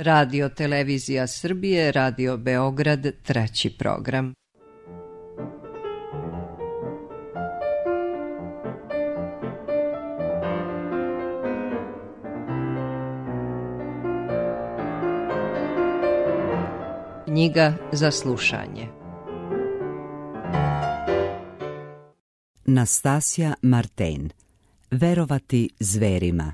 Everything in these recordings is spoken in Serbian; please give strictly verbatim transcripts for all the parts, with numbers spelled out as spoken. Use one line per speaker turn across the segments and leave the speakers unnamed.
Radio Televizija Srbije, Radio Beograd, treći program. Knjiga za slušanje.
Nastasja Marten. Verovati zverima.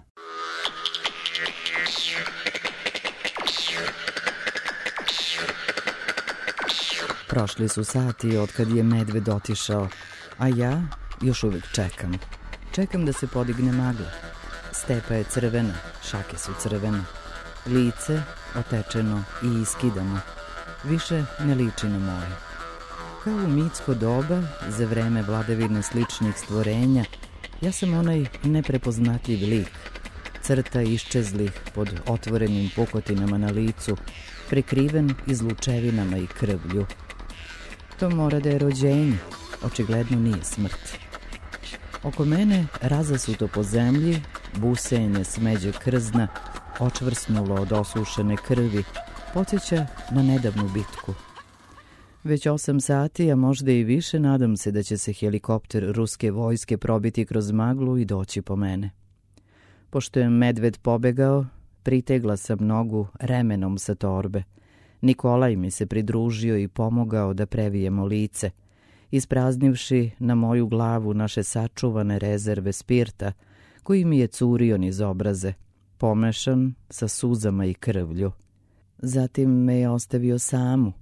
Prošli su sati od kad je medved otišao, a ja još uvijek čekam. Čekam da se podigne magla. Stepa je crvena, šake su crvene. Lice otečeno i iskidano. Više ne liči na moje. Kao u mitsko doba, za vreme vladavine sličnih stvorenja, ja sam onaj neprepoznatljiv lik, crta iščezlih pod otvorenim pukotinama na licu, prekriven izlučevinama i krvlju. To mora da je rođenje, očigledno nije smrt. Oko mene razasuto po zemlji, busenje smeđe krzna, očvrsnulo od osušene krvi, podsjeća na nedavnu bitku. Već osam sati, a možda i više, nadam se da će se helikopter ruske vojske probiti kroz maglu i doći po mene. Pošto je medved pobegao, pritegla sam nogu remenom sa torbe. Nikolaj mi se pridružio i pomogao da previjemo lice, ispraznivši na moju glavu naše sačuvane rezerve spirta, koji mi je curio niz obraze, pomešan sa suzama i krvlju. Zatim me je ostavio samu,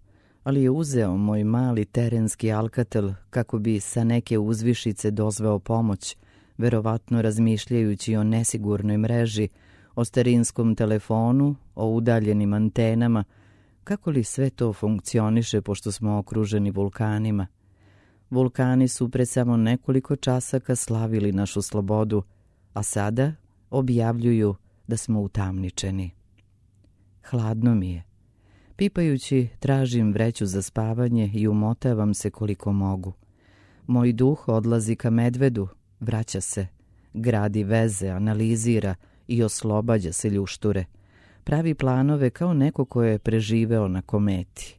ali je uzeo moj mali terenski alkatel kako bi sa neke uzvišice dozvao pomoć, verovatno razmišljajući o nesigurnoj mreži, o starinskom telefonu, o udaljenim antenama, kako li sve to funkcioniše pošto smo okruženi vulkanima. Vulkani su pre samo nekoliko časaka slavili našu slobodu, a sada objavljuju da smo utamničeni. Hladno mi je. Pipajući, tražim vreću za spavanje i umotavam se koliko mogu. Moj duh odlazi ka medvedu, vraća se, gradi veze, analizira i oslobađa se ljušture. Pravi planove kao neko ko je preživeo na kometi.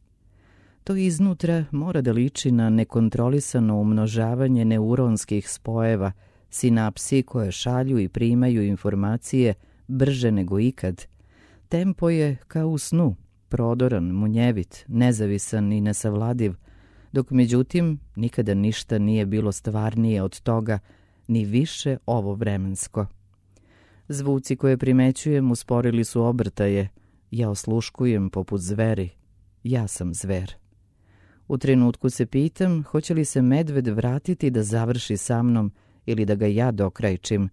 To iznutra mora da liči na nekontrolisano umnožavanje neuronskih spojeva, sinapsi koje šalju i primaju informacije brže nego ikad. Tempo je kao u snu, prodoran, munjevit, nezavisan i nesavladiv, dok međutim nikada ništa nije bilo stvarnije od toga, ni više ovo vremensko. Zvuci koje primećujem usporili su obrtaje, ja osluškujem poput zveri, ja sam zver. U trenutku se pitam hoće li se medved vratiti da završi sa mnom ili da ga ja dokrajčim,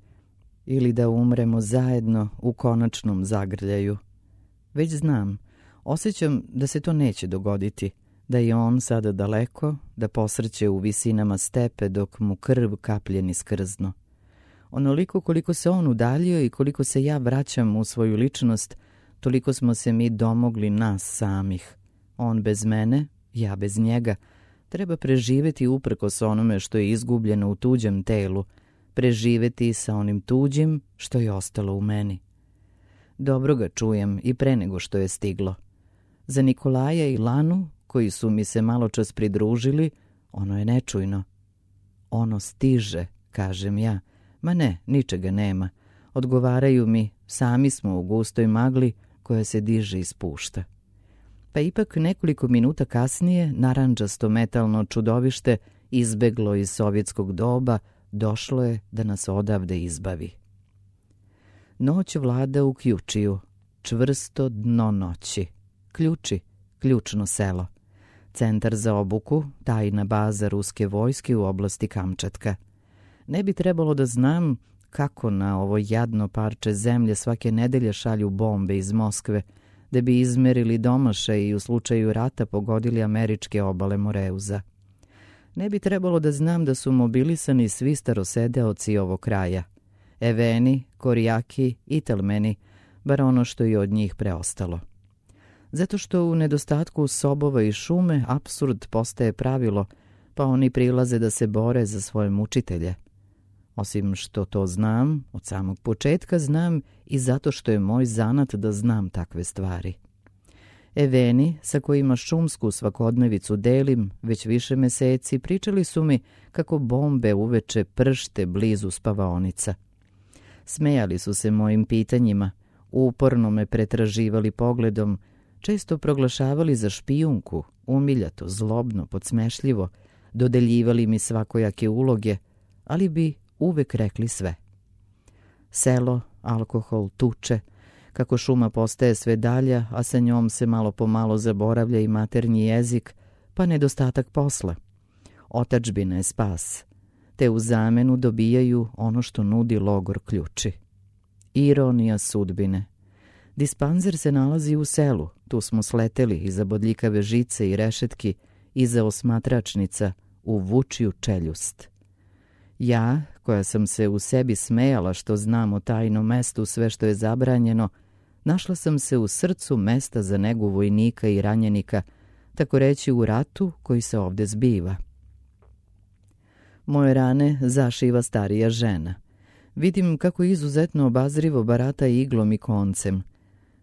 ili da umremo zajedno u konačnom zagrljaju. Već znam, osjećam da se to neće dogoditi, da je on sada daleko, da posrće u visinama stepe dok mu krv kaplje niz krzno. Onoliko koliko se on udaljio i koliko se ja vraćam u svoju ličnost, toliko smo se mi domogli nas samih. On bez mene, ja bez njega. Treba preživeti uprkos onome što je izgubljeno u tuđem telu, preživeti sa onim tuđim što je ostalo u meni. Dobro ga čujem i pre nego što je stiglo. Za Nikolaja i Lanu, koji su mi se maločas pridružili, ono je nečujno. Ono stiže, kažem ja. Ma ne, ničega nema. Odgovaraju mi, sami smo u gustoj magli koja se diže i spušta. Pa ipak nekoliko minuta kasnije narandžasto metalno čudovište izbeglo iz sovjetskog doba, došlo je da nas odavde izbavi. Noć vlada u Kjučiju, čvrsto dno noći. Ključi, ključno selo. Centar za obuku, tajna baza ruske vojske u oblasti Kamčatka. Ne bi trebalo da znam kako na ovo jadno parče zemlje svake nedelje šalju bombe iz Moskve, da bi izmerili domašaj i u slučaju rata pogodili američke obale Moreuza. Ne bi trebalo da znam da su mobilisani svi starosedeoci ovog kraja. Eveni, Korijaki, Itelmeni, bar ono što je od njih preostalo. Zato što u nedostatku sobova i šume apsurd postaje pravilo, pa oni prilaze da se bore za svoje mučitelje. Osim što to znam, od samog početka znam i zato što je moj zanat da znam takve stvari. Eveni, sa kojima šumsku svakodnevicu delim, već više meseci pričali su mi kako bombe uveče pršte blizu spavaonica. Smejali su se mojim pitanjima, uporno me pretraživali pogledom, često proglašavali za špijunku, umiljato, zlobno, podsmešljivo, dodeljivali mi svakojake uloge, ali bi uvek rekli sve. Selo, alkohol, tuče, kako šuma postaje sve dalja, a sa njom se malo po malo zaboravlja i maternji jezik, pa nedostatak posla. Otadžbina je spas, te u zamenu dobijaju ono što nudi logor ključi. Ironija sudbine. Dispanzer se nalazi u selu, tu smo sleteli iza bodljikave žice i rešetki, iza osmatračnica, u vučiju čeljust. Ja, koja sam se u sebi smejala što znam o tajnom mestu sve što je zabranjeno, našla sam se u srcu mesta za negu vojnika i ranjenika, tako reći u ratu koji se ovde zbiva. Moje rane zašiva starija žena. Vidim kako izuzetno obazrivo barata iglom i koncem.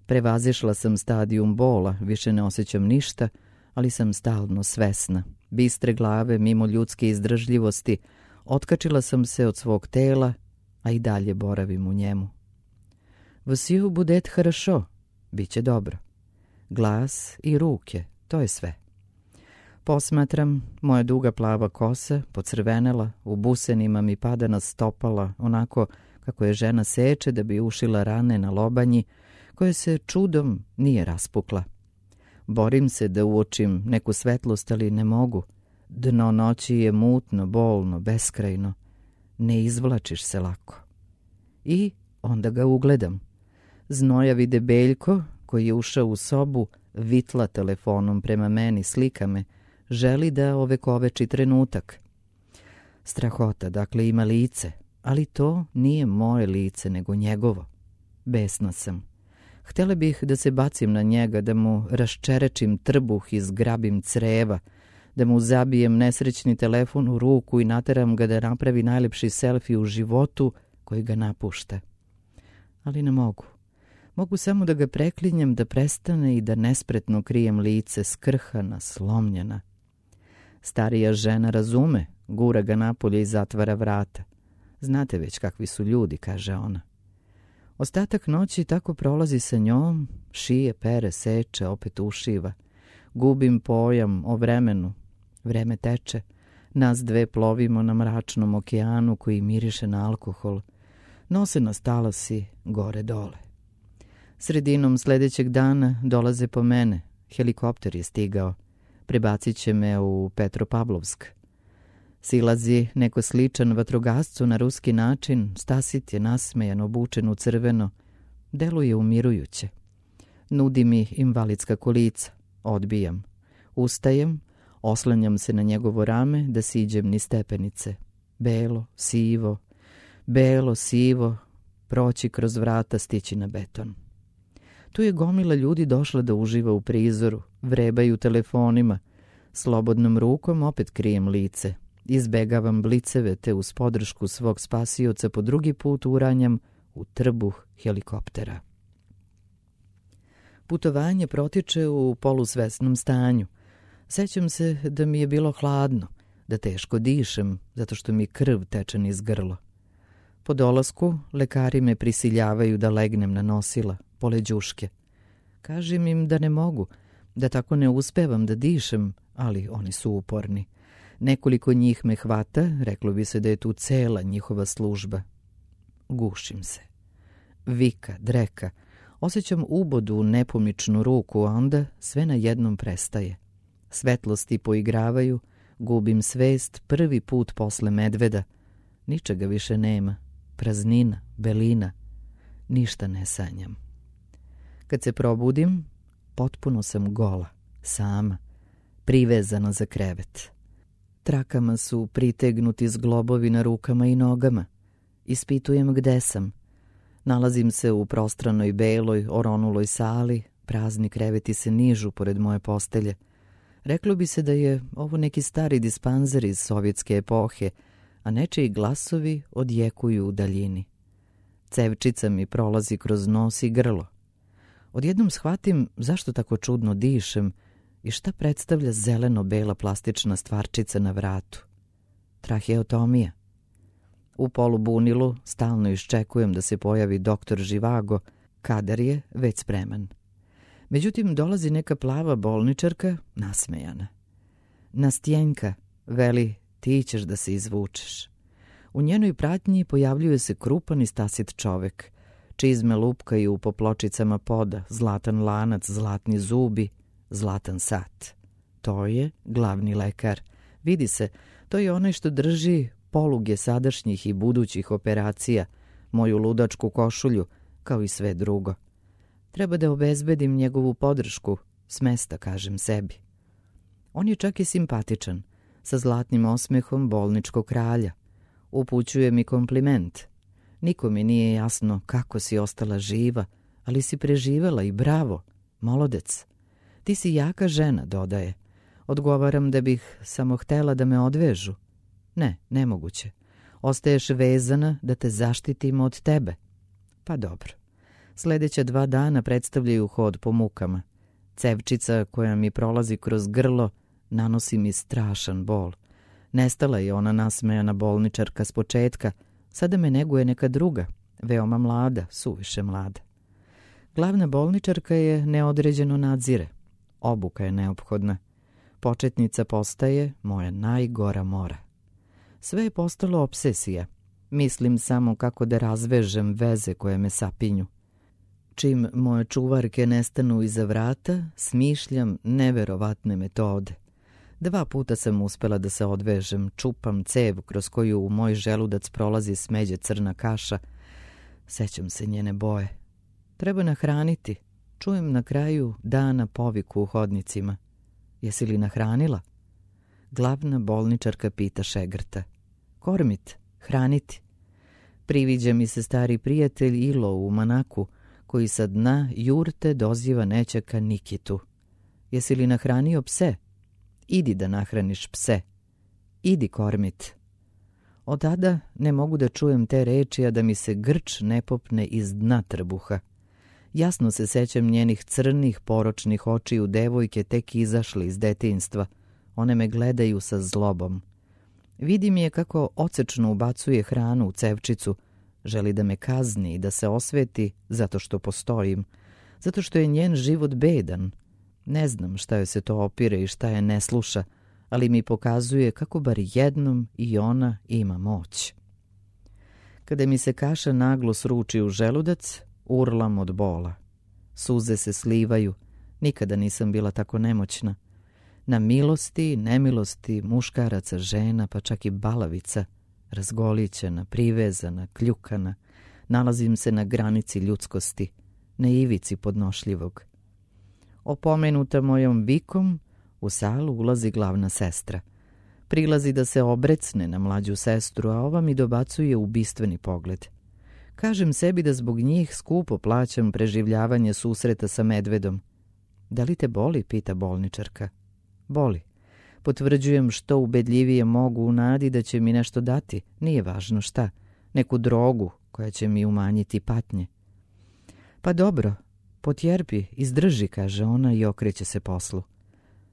Prevazišla sam stadijum bola, više ne osjećam ništa, ali sam stalno svesna. Bistre glave, mimo ljudske izdržljivosti, otkačila sam se od svog tela, a i dalje boravim u njemu. Vsiju budet harašo, bit će dobro. Glas i ruke, to je sve. Posmatram, moja duga plava kosa, pocrvenela, u busenima mi pada na stopala, onako kako je žena seče da bi ušila rane na lobanji, koje se čudom nije raspukla. Borim se da uočim neku svetlost, ali ne mogu. Dno noći je mutno, bolno, beskrajno. Ne izvlačiš se lako. I onda ga ugledam. Znojavi debeljko, koji je ušao u sobu, vitla telefonom prema meni, slika me, želi da ovekoveči trenutak. Strahota, dakle, ima lice, ali to nije moje lice, nego njegovo. Besna sam. Htjela bih da se bacim na njega, da mu raščerečim trbuh i zgrabim creva, da mu zabijem nesrećni telefon u ruku i nateram ga da napravi najlepši selfie u životu koji ga napušta. Ali ne mogu. Mogu samo da ga preklinjem da prestane i da nespretno krijem lice, skrhana, slomljena. Starija žena razume, gura ga napolje i zatvara vrata. Znate već kakvi su ljudi, kaže ona. Ostatak noći tako prolazi sa njom, šije, pere, seče, opet ušiva. Gubim pojam o vremenu. Vreme teče. Nas dve plovimo na mračnom okeanu koji miriše na alkohol. Nose nas talasi gore dole. Sredinom sledećeg dana dolaze po mene. Helikopter je stigao. Prebacit će me u Petropavlovsk. Silazi neko sličan vatrogascu na ruski način, stasit je nasmejan, obučen u crveno. Deluje umirujuće. Nudi mi invalidska kolica. Odbijam. Ustajem, oslanjam se na njegovo rame da siđem ni stepenice. Belo, sivo, belo, sivo, proći kroz vrata, stići na beton. Tu je gomila ljudi došla da uživa u prizoru, vrebaju telefonima. Slobodnom rukom opet krijem lice. Izbegavam bliceve te uz podršku svog spasioca po drugi put uranjam u trbuh helikoptera. Putovanje protiče u polusvesnom stanju. Sećam se da mi je bilo hladno, da teško dišem, zato što mi krv teče niz grlo. Po dolasku lekari me prisiljavaju da legnem na nosila, pored đuške. Kažem im da ne mogu, da tako ne uspevam da dišem, ali oni su uporni. Nekoliko njih me hvata, reklo bi se da je tu cela njihova služba. Gušim se. Vika, dreka, osjećam ubodu u nepomičnu ruku, a onda sve na jednom prestaje. Svetlosti poigravaju, gubim svest prvi put posle medveda. Ničega više nema, praznina, belina, ništa ne sanjam. Kad se probudim, potpuno sam gola, sama, privezana za krevet. Trakama su pritegnuti zglobovi na rukama i nogama. Ispitujem gde sam. Nalazim se u prostranoj beloj, oronuloj sali, prazni kreveti se nižu pored moje postelje. Reklo bi se da je ovo neki stari dispanzer iz sovjetske epohe, a nečiji glasovi odjekuju u daljini. Cevčica mi prolazi kroz nos i grlo. Odjednom shvatim zašto tako čudno dišem i šta predstavlja zeleno-bela plastična stvarčica na vratu. Traheotomija. U polubunilu stalno iščekujem da se pojavi doktor Živago, kadar je već spreman. Međutim, dolazi neka plava bolničarka, nasmejana. Nastjenka, veli, ti ćeš da se izvučeš. U njenoj pratnji pojavljuje se krupan i stasit čovek. Čizme lupkaju po pločicama poda, zlatan lanac, zlatni zubi, zlatan sat. To je glavni lekar. Vidi se, to je onaj što drži poluge sadašnjih i budućih operacija, moju ludačku košulju, kao i sve drugo. Treba da obezbedim njegovu podršku, s mesta, kažem sebi. On je čak i simpatičan, sa zlatnim osmehom bolničkog kralja. Upućuje mi kompliment. Niko mi nije jasno kako si ostala živa, ali si preživela i bravo, molodec. Ti si jaka žena, dodaje. Odgovaram da bih samo htela da me odvežu. Ne, nemoguće. Ostaješ vezana da te zaštitim od tebe. Pa dobro. Sljedeća dva dana predstavljaju hod po mukama. Cevčica koja mi prolazi kroz grlo nanosi mi strašan bol. Nestala je ona nasmejana bolničarka s početka, sada me neguje neka druga, veoma mlada, suviše mlada. Glavna bolničarka je neodređeno nadzire. Obuka je neophodna. Početnica postaje moja najgora mora. Sve je postalo obsesija. Mislim samo kako da razvežem veze koje me sapinju. Čim moje čuvarke nestanu iza vrata, smišljam neverovatne metode. Dva puta sam uspela da se odvežem, čupam cev kroz koju u moj želudac prolazi smeđe crna kaša. Sećam se njene boje. Treba nahraniti. Čujem na kraju dana poviku u hodnicima. Jesi li nahranila? Glavna bolničarka pita šegrta. Kormit, hraniti. Priviđa mi se stari prijatelj Ilo u Manaku, koji sa dna jurte doziva nećaka Nikitu. Jesi li nahranio pse? Idi da nahraniš pse. Idi, Kormit. Od tada ne mogu da čujem te reči, a da mi se grč ne popne iz dna trbuha. Jasno se sećam njenih crnih, poročnih očiju devojke tek izašle iz detinjstva. One me gledaju sa zlobom. Vidim je kako ocečno ubacuje hranu u cevčicu. Želi da me kazni i da se osveti zato što postojim. Zato što je njen život bedan. Ne znam šta joj se to opire i šta je ne sluša, ali mi pokazuje kako bar jednom i ona ima moć. Kada mi se kaša naglo sruči u želudac, urlam od bola. Suze se slivaju. Nikada nisam bila tako nemoćna. Na milosti i nemilosti muškaraca, žena, pa čak i balavica, razgolićena, privezana, kljukana, nalazim se na granici ljudskosti, na ivici podnošljivog. Opomenuta mojom vikom, u salu ulazi glavna sestra. Prilazi da se obrecne na mlađu sestru, a ova mi dobacuje ubistveni pogled. Kažem sebi da zbog njih skupo plaćam preživljavanje susreta sa medvedom. Da li te boli, pita bolničarka. Boli. Potvrđujem što ubedljivije mogu u nadi da će mi nešto dati, nije važno šta, neku drogu koja će mi umanjiti patnje. Pa dobro, potjerpi, izdrži, kaže ona i okreće se poslu.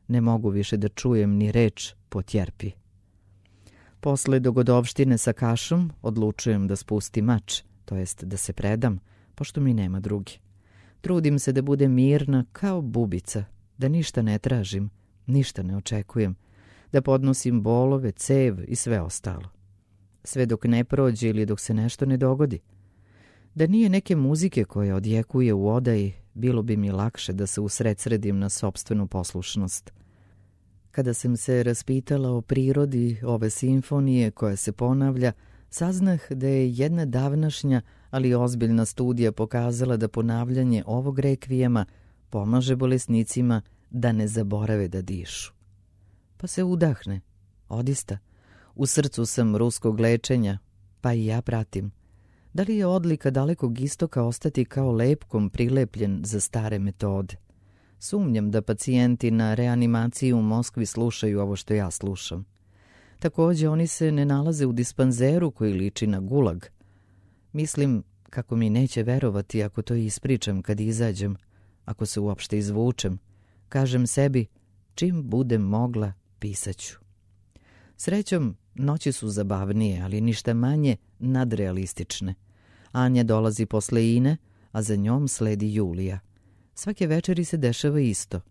Ne mogu više da čujem ni reč potjerpi. Posle dogodovštine sa kašom odlučujem da spustim mač, to jest da se predam, pošto mi nema drugi. Trudim se da budem mirna kao bubica, da ništa ne tražim, ništa ne očekujem, da podnosim bolove, cev i sve ostalo. Sve dok ne prođe ili dok se nešto ne dogodi. Da nije neke muzike koja odjekuje u odaji, bilo bi mi lakše da se usredsredim na sopstvenu poslušnost. Kada sam se raspitala o prirodi ove simfonije koja se ponavlja, saznah da je jedna davnašnja, ali ozbiljna studija pokazala da ponavljanje ovog rekvijema pomaže bolesnicima da ne zaborave da dišu. Pa se udahne. Odista. U srcu sam ruskog lečenja, pa i ja pratim. Da li je odlika dalekog istoka ostati kao lepkom prilepljen za stare metode? Sumnjam da pacijenti na reanimaciji u Moskvi slušaju ovo što ja slušam. Takođe, oni se ne nalaze u dispanzeru koji liči na gulag. Mislim kako mi neće verovati ako to ispričam kad izađem, ako se uopšte izvučem. Kažem sebi, čim budem mogla, pisaću. Srećom, noći su zabavnije, ali ništa manje nadrealistične. Anja dolazi posle Ine, a za njom sledi Julija. Svake večeri se dešava isto.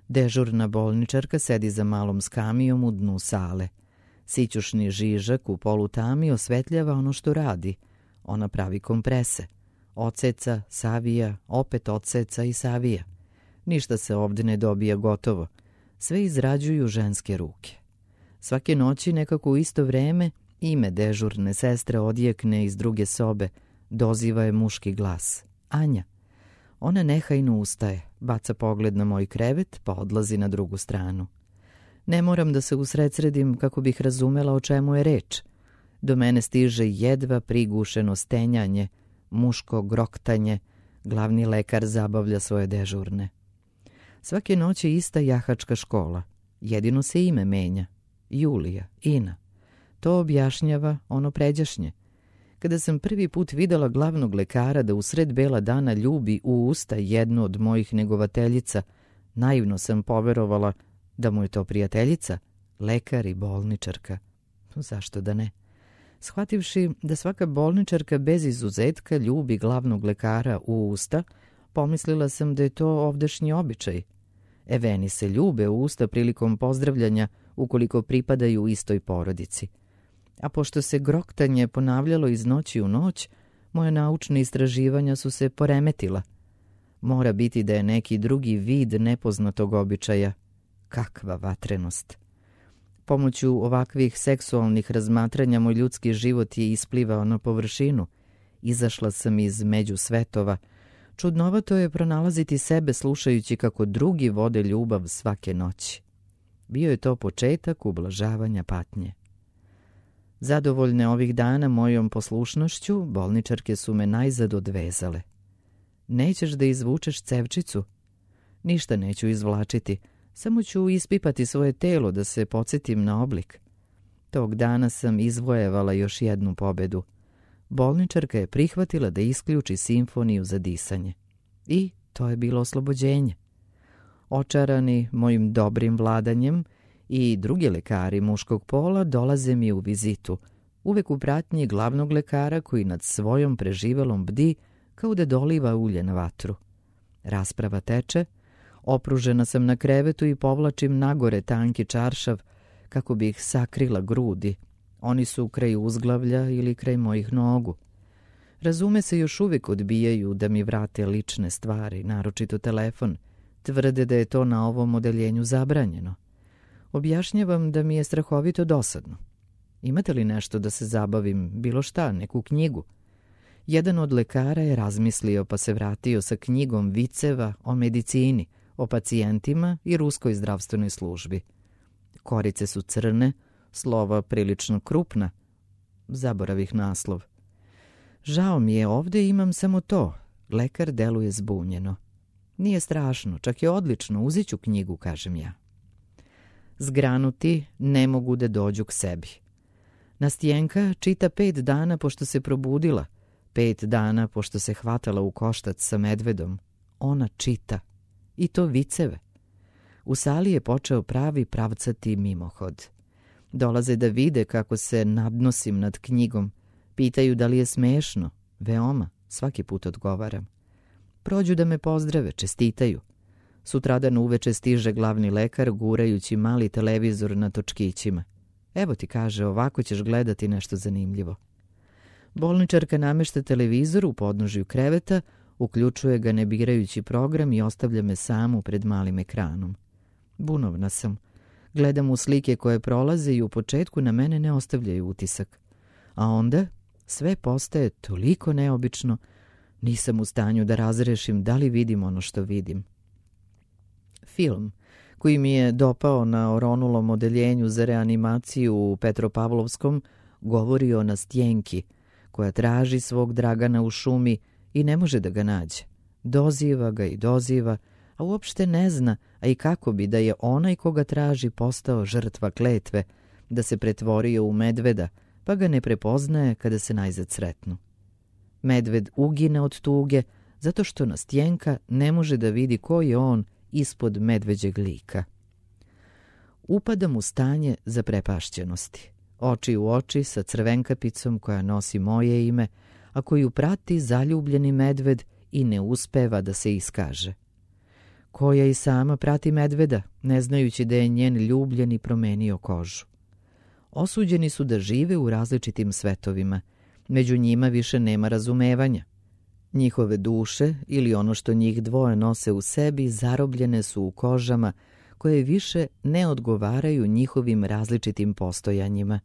Dežurna bolničarka sedi za malom skamijom u dnu sale. Sićušni žižak u polutami osvetljava ono što radi. Ona pravi komprese. Oceca, savija, opet oceca i savija. Ništa se ovdje ne dobija gotovo. Sve izrađuju ženske ruke. Svake noći nekako u isto vreme ime dežurne sestre odjekne iz druge sobe. Doziva je muški glas. Anja. Ona nehajno ustaje, baca pogled na moj krevet, pa odlazi na drugu stranu. Ne moram da se usredsredim kako bih razumela o čemu je reč. Do mene stiže jedva prigušeno stenjanje, muško groktanje, glavni lekar zabavlja svoje dežurne. Svake noći ista jahačka škola, jedino se ime menja. Julija, Ina. To objašnjava ono pređašnje. Kada sam prvi put videla glavnog lekara da usred bela dana ljubi u usta jednu od mojih negovateljica, naivno sam poverovala da mu je to prijateljica, lekar i bolničarka. Zašto da ne? Shvativši da svaka bolničarka bez izuzetka ljubi glavnog lekara u usta, pomislila sam da je to ovdašnji običaj. Eveni se ljube u usta prilikom pozdravljanja ukoliko pripadaju istoj porodici. A pošto se groktanje ponavljalo iz noći u noć, moje naučne istraživanja su se poremetila. Mora biti da je neki drugi vid nepoznatog običaja. Kakva vatrenost! Pomoću ovakvih seksualnih razmatranja moj ljudski život je isplivao na površinu. Izašla sam iz među svetova. Čudnovato je pronalaziti sebe slušajući kako drugi vode ljubav svake noći. Bio je to početak ublažavanja patnje. Zadovoljne ovih dana mojom poslušnošću, bolničarke su me najzad odvezale. Nećeš da izvučeš cevčicu? Ništa neću izvlačiti, samo ću ispipati svoje telo da se podsjetim na oblik. Tog dana sam izvojevala još jednu pobedu. Bolničarka je prihvatila da isključi simfoniju za disanje. I to je bilo oslobođenje. Očarani mojim dobrim vladanjem, i drugi lekari muškog pola dolaze mi u vizitu, uvek u pratnji glavnog lekara koji nad svojom preživelom bdi kao da doliva ulje na vatru. Rasprava teče, opružena sam na krevetu i povlačim nagore tanki čaršav kako bi ih sakrila grudi. Oni su kraj uzglavlja ili kraj mojih nogu. Razume se, još uvijek odbijaju da mi vrate lične stvari, naročito telefon. Tvrde da je to na ovom odeljenju zabranjeno. Objašnjavam da mi je strahovito dosadno. Imate li nešto da se zabavim, bilo šta, neku knjigu? Jedan od lekara je razmislio pa se vratio sa knjigom viceva o medicini, o pacijentima i ruskoj zdravstvenoj službi. Korice su crne, slova prilično krupna. Zaboravih naslov. Žao mi je, ovdje imam samo to. Lekar deluje zbunjeno. Nije strašno, čak je odlično, uzet ću knjigu, kažem ja. Zgranuti ne mogu da dođu k sebi. Nastjenka čita pet dana pošto se probudila, pet dana pošto se hvatala u koštac sa medvedom. Ona čita. I to viceve. U sali je počeo pravi pravcati mimohod. Dolaze da vide kako se nadnosim nad knjigom. Pitaju da li je smešno. Veoma, svaki put odgovaram. Prođu da me pozdrave, čestitaju. Sutradan uveče stiže glavni lekar gurajući mali televizor na točkićima. Evo ti, kaže, ovako ćeš gledati nešto zanimljivo. Bolničarka namešta televizor u podnožju kreveta, uključuje ga ne birajući program i ostavlja me samu pred malim ekranom. Bunovna sam. Gledam u slike koje prolaze i u početku na mene ne ostavljaju utisak. A onda sve postaje toliko neobično, nisam u stanju da razrešim da li vidim ono što vidim. Film koji mi je dopao na oronulom odeljenju za reanimaciju u Petropavlovskom govori o Nastjenki, koja traži svog Dragana u šumi i ne može da ga nađe. Doziva ga i doziva, a uopšte ne zna, a i kako bi da je onaj koga traži postao žrtva kletve, da se pretvorio u medveda, pa ga ne prepoznaje kada se najzad sretnu. Medved ugine od tuge zato što Nastjenka ne može da vidi ko je on ispod medveđeg lika. Upadam u stanje zaprepašćenosti, oči u oči sa crvenkapicom koja nosi moje ime, a koju prati zaljubljeni medved i ne uspeva da se iskaže. Koja i sama prati medveda, ne znajući da je njen ljubljeni promenio kožu. Osuđeni su da žive u različitim svetovima, među njima više nema razumevanja. Njihove duše ili ono što njih dvoje nose u sebi zarobljene su u kožama koje više ne odgovaraju njihovim različitim postojanjima.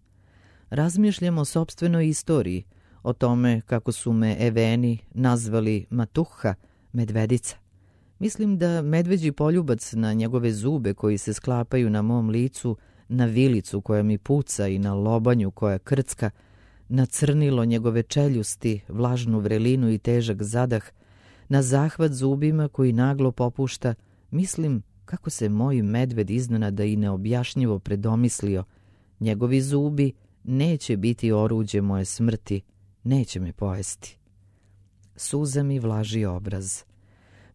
Razmišljam o sopstvenoj istoriji, o tome kako su me Eveni nazvali Matuha, medvedica. Mislim da medveđi poljubac na njegove zube koji se sklapaju na mom licu, na vilicu koja mi puca i na lobanju koja krcka, na crnilo njegove čeljusti, vlažnu vrelinu i težak zadah, na zahvat zubima koji naglo popušta, mislim kako se moj medved iznenada i neobjašnjivo predomislio. Njegovi zubi neće biti oruđe moje smrti, neće me pojesti. Suza mi vlaži obraz.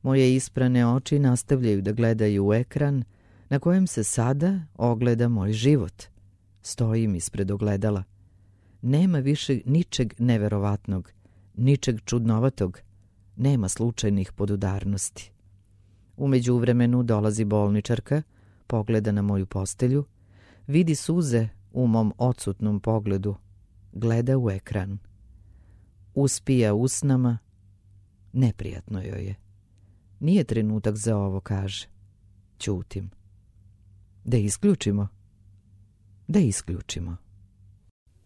Moje isprane oči nastavljaju da gledaju u ekran na kojem se sada ogleda moj život. Stojim ispred ogledala. Nema više ničeg neverovatnog, ničeg čudnovatog, nema slučajnih podudarnosti. U međuvremenu dolazi bolničarka, pogleda na moju postelju, vidi suze u mom odsutnom pogledu, gleda u ekran. Uspija usnama, neprijatno joj je. Nije trenutak za ovo, kaže. Ćutim. Da isključimo? Da isključimo.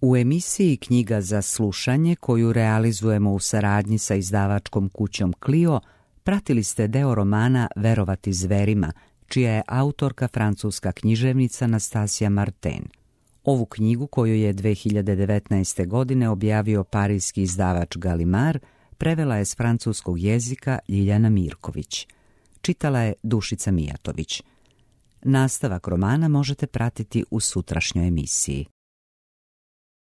U emisiji Knjiga za slušanje, koju realizujemo u saradnji sa izdavačkom kućom Clio, pratili ste deo romana Verovati zverima, čija je autorka francuska književnica Nastasija Martin. Ovu knjigu, koju je dve hiljade devetnaeste. godine objavio parijski izdavač Gallimard, prevela je s francuskog jezika Ljiljana Mirković. Čitala je Dušica Mijatović. Nastavak romana možete pratiti u sutrašnjoj emisiji.